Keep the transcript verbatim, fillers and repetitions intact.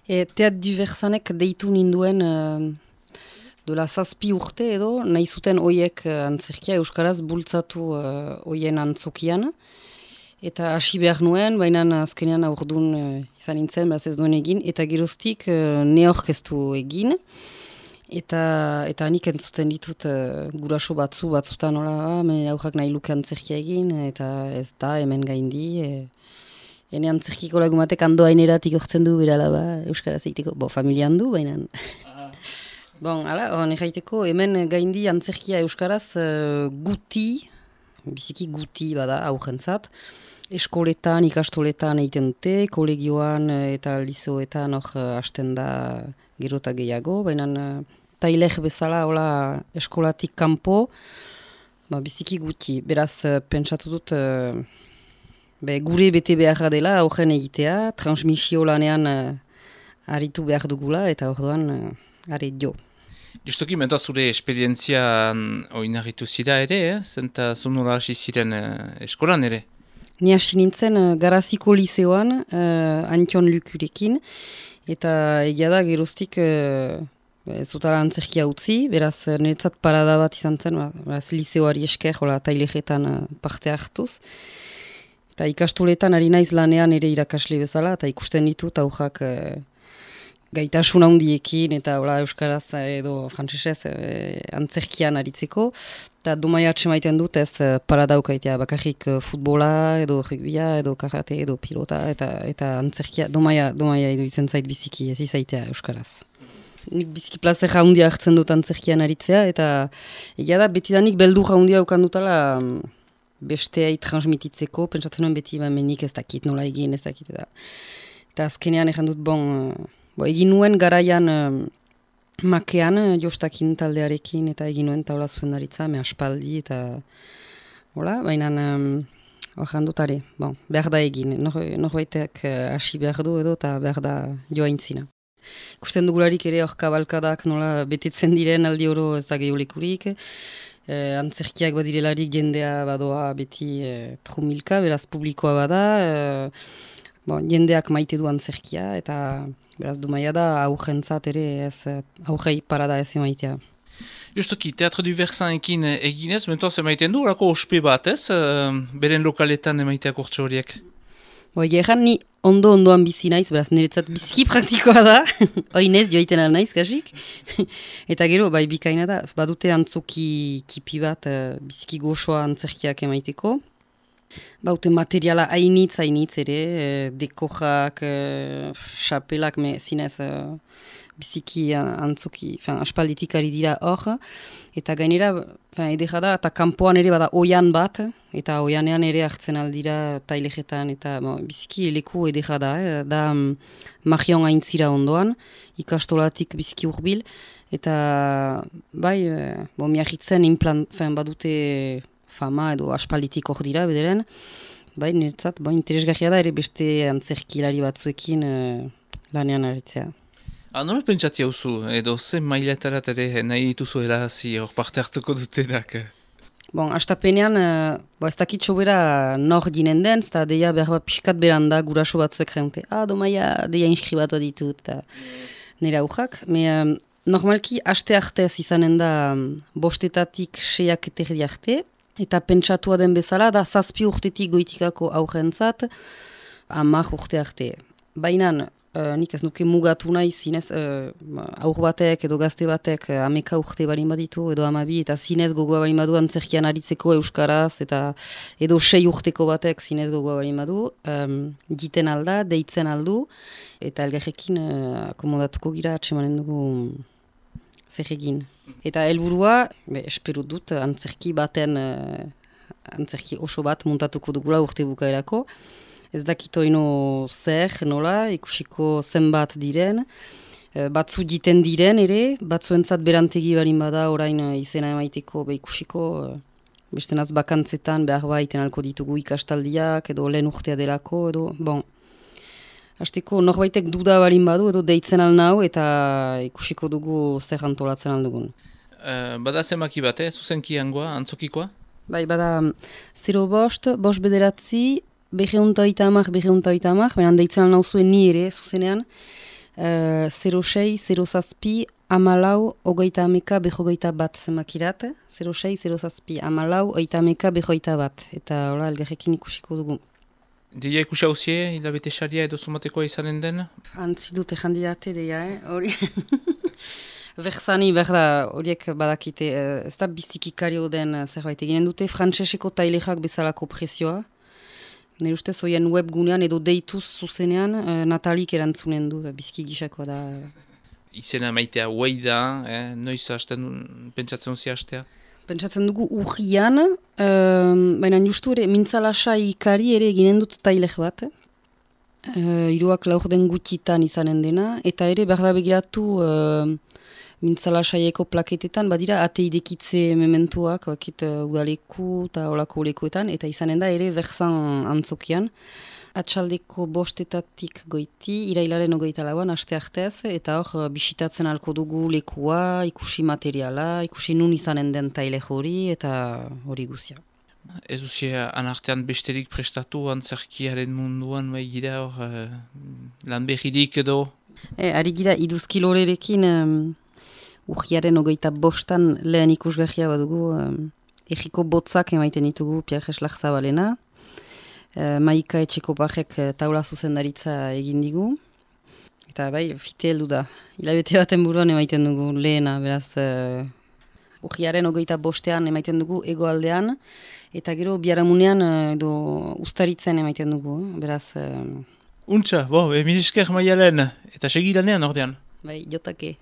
E, Teat Diversanek deitu ninduen uh, dola zazpi urte edo, nahi zuten oiek uh, antzerkia Euskaraz bultzatu uh, oien antzokian. Eta hasi behar nuen, baina azkenean aurdun uh, izan nintzen, beraz ez duen egin, eta geroztik uh, neorkestu egin. Eta eta nik entzuten ditut uh, guraso batzu, batzutan nola, ah, aurrak nahi luke antzerkia egin, eta ez da hemen gaindi. E, ene antzerkiko lagumatek ando haineratik ortzen du, berala ba, Euskaraz egiteko, bo, familian du, baina... Bon, ala, hori jaiteko, hemen gaindi antzerkia Euskaraz uh, guti, biziki guti bada aurrentzat, eskoletan, ikastoletan egiten dute, kolegioan eta liceoetan hor uh, hasten da gerota gehiago, baina uh, tailek bezala hola eskolatik kanpo, ba, biziki guti. Beraz, uh, pentsatu dut, uh, be, gure bete beharra dela aurren egitea, transmisio lanean uh, aritu behar dugula, eta orduan uh, are jo. Justoki, menta zure esperientzian oinarritu zira ere, eh? Zenta zunola hasi ziren uh, eskolan ere? Ni hasi nintzen uh, Garaziko liceoan, uh, Antion Lukurekin, eta egia da geroztik uh, ez zutara antzerkia utzi, beraz niretzat parada bat izan zen, beraz liceoari esker, hola tailejetan uh, parte hartuz. Eta ikastoletan ari naiz lanean ere irakasle bezala, eta ikusten ditut aurrak uh, gaitasun handiekin, eta hola euskaraz edo frantsesez uh, antzerkian aritzeko. Eta domaia atxemaiten dut ez uh, paradaukaitea, bakarrik uh, futbola, edo rugbia, edo karate, edo pilota, eta, eta antzerkia, domaia, domaia edo izen zait biziki, ez izaitea euskaraz. Nik biziki plazer jaundia hartzen dut antzerkian aritzea, eta egia da, betidanik beldu jaundia ukan dutala um, besteai transmititzeko, pentsatzen nuen beti menik ez dakit nola egin, ez dakit. Eta, eta azkenean egin dut, bon, uh, bo, egin nuen garaian um, makean, uh, jostakin taldearekin, eta egin nuen taula zuzendaritza, me aspaldi, eta hola, baina um, egin dut are, bon, behar da egin, norbaitek hasi uh, behar du edo, eta behar da joa intzina. Ikusten dugularik ere hor kabalkadak nola betetzen diren aldi oro ez da gehiolekurik. E, antzerkiak badirelarik jendea badoa beti e, trumilka, beraz publikoa bada. E, bon, jendeak maite du antzerkia eta beraz dumaia da aurrentzat ere ez aurrei parada ez emaitea. Justoki, Teatro Diversanekin eginez, mentoaz emaiten du, orako ospe bat ez, beren lokaletan emaiteak urtsa horiek? Bo, egeran ni ondo-ondoan bizi naiz, beraz niretzat biziki praktikoa da, oinez joaiten al naiz, kasik. Eta gero, bai bikaina da, badute antzoki kipi bat, uh, biziki goxoa antzerkiak emaiteko. Baute materiala hainitz, hainitz ere, uh, dekojak, uh, xapelak, me zinez uh, biziki antzoki, fin, aspalditik ari dira hor. Eta gainera, edera da, eta kanpoan ere bada oian bat, eta oianean ere hartzen aldira tailejetan, eta bon, biziki leku edera da, eh? Da um, magion aintzira ondoan, ikastolatik biziki urbil, eta bai, eh, bon, miahitzen implant, fin, badute fama edo aspalditik hor dira, bederen, bai, niretzat, bon, interesgarria da ere beste antzerkilari batzuekin eh, lanean aritzea. Ah, nola pentsati hauzu, edo zen mailetarat ere nahi dituzuela hazi hor parte hartuko dutenak? Bon, astapenean, uh, bo ez dakit sobera nor ginen den, eta deia behar bat pixkat beranda guraso batzuek reunte. Ah, domaia, deia inskribatu ditut, eta nire aurrak. Me, um, normalki, aste artez izanen da um, bostetatik seiak eterdi arte, eta pentsatua den bezala, da zazpi urtetik goitikako aurrentzat, amak urte arte. Baina, Uh, nik ez nuke mugatu nahi zinez uh, aur batek edo gazte batek uh, ameka urte balin baditu edo amabi eta zinez gogoa balin badu antzerkian aritzeko euskaraz eta edo sei urteko batek zinez gogoa balin badu um, giten alda, deitzen aldu eta elgarrekin uh, akomodatuko gira atsemanen dugu zer egin. Eta helburua, be, espero dut antzerki baten uh, antzerki oso bat montatuko dugula urte bukaerako. Ez dakito ino zer, nola, ikusiko zenbat diren, batzu diten diren ere, batzuentzat berantegi barin bada orain izena emaiteko be ikusiko, beste naz bakantzetan behar baiten alko ditugu ikastaldiak, edo lehen urtea delako, edo, bon. Hasteko norbaitek duda barin badu, edo deitzen alnau, eta ikusiko dugu zer antolatzen aldugun. Uh, bada zemaki bat, eh? Zuzenki hangoa, antzokikoa? Bai, bada, zero bost, bost bederatzi, Begeunta oita amak, begeunta oita amak, beran deitzen alnau zuen ni ere, zuzenean, zero sei, zero zazpi, amalau, ogeita ameka, behogeita bat zemakirat. zero sei, zero zazpi, amalau, ogeita ameka, behogeita bat. Eta hola, elgarrekin ikusiko dugu. Deia ikusi hauzie, hilabete saria edo zumatekoa izanen den? Antzi dute jandidate deia, eh? Hori... Berzani, berda, horiek badakite, ez da bizikikario den zerbait eginen dute, frantseseko tailexak bezalako prezioa. Nire ustez, hoien webgunean edo deituz zuzenean, Natalik erantzunen du, biziki gisakoa da. Izena maitea huei da, eh? Noiz hasten, pentsatzen duzia hastea? Pentsatzen dugu urrian, uh, baina justu ere, mintzalasa ikari ere eginen dut tailek bat. Uh, Iruak laur den gutitan izanen dena, eta ere berda begiratu uh, mintzalasaieko plaketetan, badira ate idekitze mementuak, bakit uh, udaleku eta olako olekuetan, eta izanen da ere berzan antzokian. Atxaldeko bostetatik goiti, irailaren ogeita lauan, aste artez, eta hor bisitatzen alko dugu lekua, ikusi materiala, ikusi nun izanen den taile hori, eta hori guzia. Ez duzia anartean besterik prestatu antzerkiaren munduan, bai gira hor, uh, lan behirik edo? E, ari gira iduzkilorerekin, um, urriaren ogeita bostan lehen ikusgahia badugu, um, egiko botzak emaiten ditugu Pierre Eslach-Zabalena. Uh, Maika etxeko bajek uh, taula zuzendaritza egin digu. Eta bai, fite heldu da. Hilabete baten buruan emaiten dugu lehena, beraz... Uh, Urriaren ogeita bostean emaiten dugu egoaldean, eta gero biharamunean uh, edo ustaritzen emaiten dugu, beraz... Uh... Untxa, bo, emizisker maialen, eta segidanean ordean. Bai, jotake.